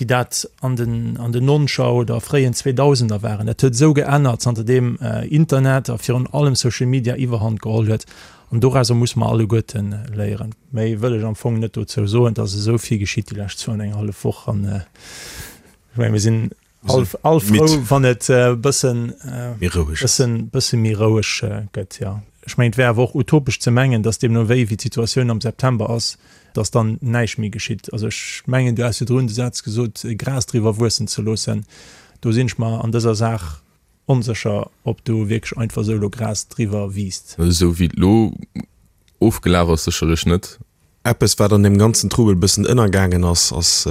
wéi dat an den an den Noncher oder fréien Zweedausender waren. Dat huet esou geännert, zanterdeem Internet a virun allem Social Media Iwwerhand geholl huet. An dorauser musse mer alleguerten léieren. Méi wëll ech am Fong net dozou soen. Et ass esou vill geschitt déi lescht zwou an eng hallef Woch an ech mengen, mir sinn All, all frou, wann et e bëssen, méi roueg bëssen, bësse méi roueg gëtt, jo. Ech mengen, et wär awer och utopesch ze mengen, datt deemno wéi, wéi d'Situatioun am September ass, datt dann näischt méi geschitt. Also ech mengen, du has virdrun de Saz gesot, Gras driwwer wuessen ze loossen. Do sinn ech mer an dëser Saach onsécher, ob do wierklech einfach esou elo Gras driwwer wiisst. Esou wéi et elo ofgelaf ass, sécherlech net. Eppes, wat an deem ganzen Trubel e bëssen ënnergaangen ass, ass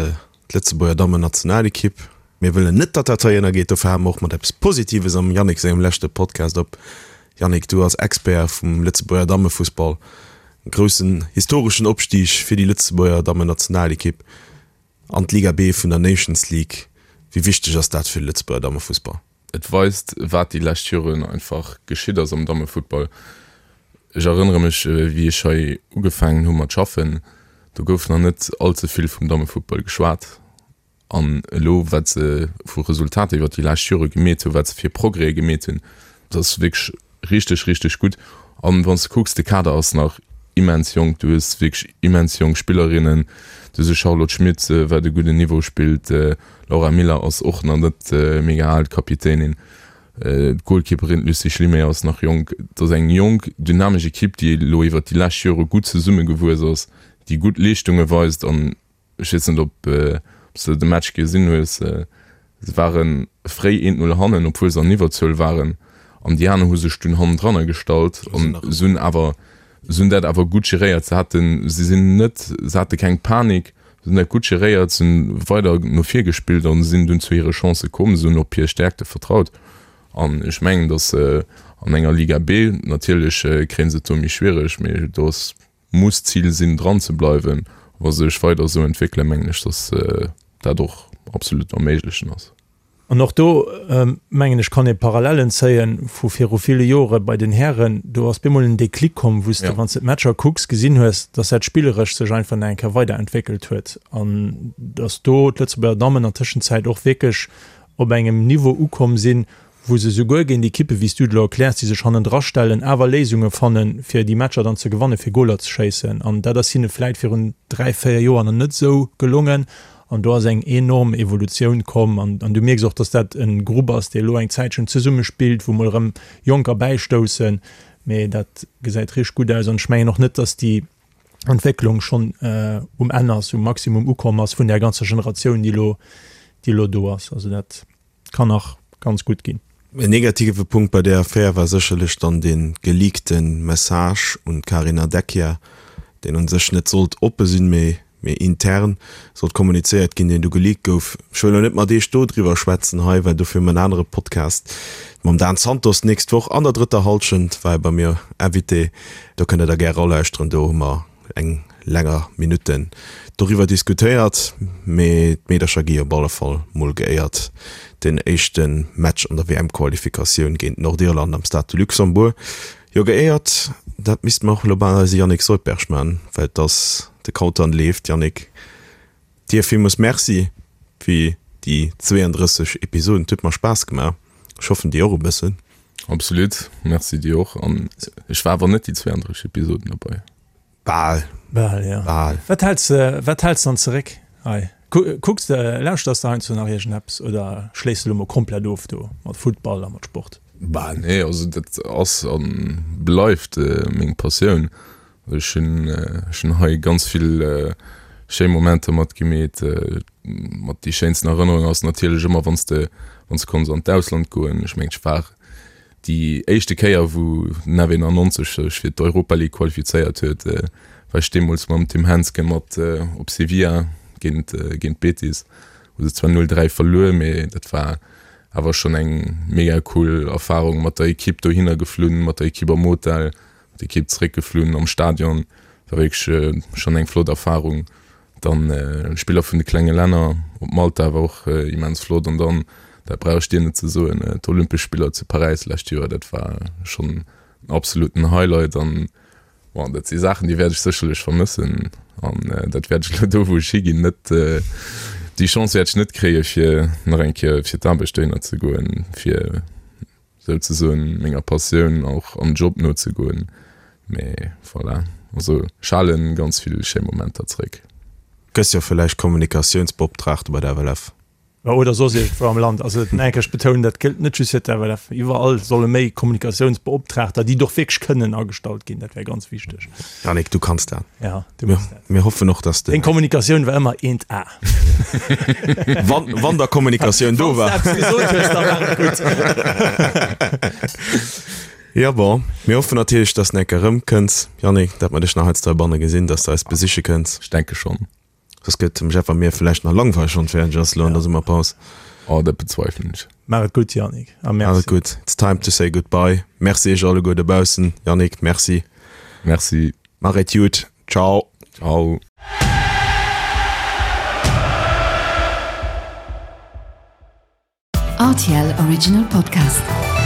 d'Lëtzebuerger Dammennationalekipp. Mir wëllen net, datt dat hei ënnergeet, dofir hale mer och mat eppes Positives am Yannick sengem leschte Podcast op. Yannick, du als Expert vum Lëtzebuerger Dammefussball, e groussen historeschen Opstig fir déi Lëtzebuerger Dammennationalekipp an d'Liga B vun der Nations League. Wéi wichteg ass dat fir de Lëtzebuerger Dammefussball? Et weist, wat déi lescht Joren einfach geschitt ass am Dammefuttball. Ech erënnere mech, wéi ech hei ugefaangen hu mat schaffen, do gouf nach net all ze vill vum Dammefuttball geschwat. An elo, wat se vu Resultater iwwert déi lescht Jore gemeet hunn, wat se fir Progrèse gemeet hunn, dat ass wierklech richteg, richteg gutt. An wann s de kucks, de Kader ass nach immens jonk, du hues wierklech immens jonk Spillerinnen, du hues e Charlotte Schmit, wat e gudden Niveau spillt, Laura Miller ass och nach net mega al, d'Kapitänin, d'Goalkeeperin, d'Lucie Schlimé ass nach jonk. Et ass eng jonk, dynamesch Ekipp, déi elo iwwert déi lescht Jore gutt zesummegewuess ass, déi gutt Leeschtunge weist an ech weess net, ob s de de Match gesinn hues, se ware fréi eent Null hannen, obwuel se an Iwwerzuel waren an déi aner hu sech dunn hannendranner gestallt an se hunn awer, se hunn dat awer gutt geréiert. Se haten, se sinn net, se hate keng Panik, se hunn dat gutt geréiert, se hunn weider no vir gespillt an sinn dunn zu hire Chancë komm. Se hunn op hir Stäerkte vertraut an ech mengen, datt se an enger Liga B, natierlech kréie se et do méi schwiereg, mee do ass, muss d'Zil sinn dran ze bleiwen. Wa se sech weider esou entwéckelen, mengen ech, datt dat och absolut erméiglechen ass. An och do, mengen ech, kann ee Parallellen zéie vu viru ville Jore bei den Hären. Do ass bemol en Déclic komm, wou s de, wann s de d'Matcher kucks, gesinn hues, datt dat spilleresch sech einfach nach eng Kéier weiderentwéckelt huet an datt do d'Lëtzebuerger Dammen an Tëschenzäit och wierklech op engem Niveau ukomm sinn, wou se souguer géint Ekippen, wéi s du et elo erkläers, déi sech hannendra stellen, awer Léisunge fannen, fir déi Matcher dann ze gewannen, fir Goler ze schéissen. An dat ass hinne vläit virun dräi, véier Joer nach net esou gelongen. An do ass eng enorm Evolutioun komm. An du mierks och, dass dat e Grupp ass, dee elo eng Zäitchen zesummespillt, wou mol erëm Jonker bäistoussen. Mee dat gesäit richteg gutt aus. An ech mengen och net, dass déi Entwécklung schonn um Enn ass, um Maximum ukomm ass vun där ganzer Generatioun, déi elo, déi elo do ass. Also dat kann nach ganz gutt ginn. En negative Punkt bei där Affär war sécherlech dann dee geleakte Message un d'Carina Deckia, deen un sech net sollt oppe sinn, mee mee intern sollt kommunizéiert ginn, deen du geleakt gouf. Ech wëll elo net mat Iech do driwwer schwätzen hei, well dofir hu mer en anere Podcast mam Dan Santos d'nächst Woch an der drëtter Hallschent, war e bei mir Invité, do kënnt der da gär eralauschteren, do hu mer eng länger Minutten doriwwer diskutéiert, mee d'Meedercher gi op alle Fall mol geéiert. Den éischte Match an der W M-Qualifikatioun géint Nordirland am Stade de Luxembourg. Jo, geéiert, dat misste mer och elo bal eise Yannick Soldberg man, well et ass de Countdown leeft. Yannick, dir villmools Merci fir déi zweeëndrësseg Episoden. Et huet mer Spaass gemaach. Ech hoffen dir och e bëssen. Absolut, Merci dir och. An ech war awer net déi zweeëndrësseg Episoden dobei. Bal. Bal, jo. Bal. Wat häls de, wat häls de dann zeréck hei? Kucks de, lauschters de heiansdo nach iergendeppes oder schléiss de elo mol komplett of do mat Futtball a mat Sport? Bah nee, also dat ass a bleift meng Passioun. Ech hunn, ech hunn hei ganz vill schéi Momenter mat gemeet. Mat déi schéinsten Erënnerung ass natierlech ëmmer wann s de, wann s de konns an d'Ausland goen. Ech mengen ech war Déi éischte Kéier wou den F eenannonzeg sech fir d'Europa League qualifizéiert huet, war ech deemools mam Tim Hensgen mat op Sevilla géint géint Betis. Hu se zwar null dräi verluer, mee dat war awer schonn eng mega cool Erfarung mat der Ekipp dohinner geflunn, mat der Ekipp am Hotel, mat der Ekipp zeréckgeflunn am Stadion. War wierklech schonn eng flott Erfarung. Dann Spiller vun de klenge Länner op Malta war och immens flott. An dann, dat brauch ech dir net ze soen, d'Olympesch Spiller zu Paräis lescht Joer, dat war schonn en absoluten Highlight. An bon, dat si Saachen, déi wäert ech sécherlech vermëssen. An dat wäert ech elo do, wou ech higinn, net, déi Chance wäert ech net kréie fir nach eng Kéier fir d'Aarbecht dohinner ze goen, fir souzesoen menger Passioun och am Job nozegoen, mee voilà, also ech halen ganz vill schéi Momenter zréck. Gëss jo villäicht Kommunikatiounsbeoptraagte bei der F L F. Oder soss iergendwou am Land. Also nach eng Kéier, ech betounen, dat gëllt net just fir d'FLF. Iwwerall solle méi Kommunikatiounsbeoptraagter, déi et och wierklech kënnen, agestallt ginn. Dat wär ganz wichteg. Yannick, du kanns dat. Ja, du méchs dat. Mir hoffen och, dass de. Deng Kommunikatioun war ëmmer eent A. Wann, wann da Kommunikatioun do war. Wann s de eppes gesot hues, da war et gutt. Ja, bon, mir hoffen natierlech, dass de eng Kéier erëmkënns, Yannick, dat mer dech nach heiansdo heibanne gesinn, dass de eis besiche kënns. Ech denke schonn. Soss gëtt dem Jeff a mir villäicht nach langweileg wann fäerdeg ass elo an der Summerpaus. Oh, dat bezweifelen ech. Maach et gutt, Yannick, a Maach merci. et gutt. It's time to say goodbye. Merci iech alleguer dobaussen. Yannick, merci. Merci. Maach et jut. Ciao. Ciao. R T L Original Podcast.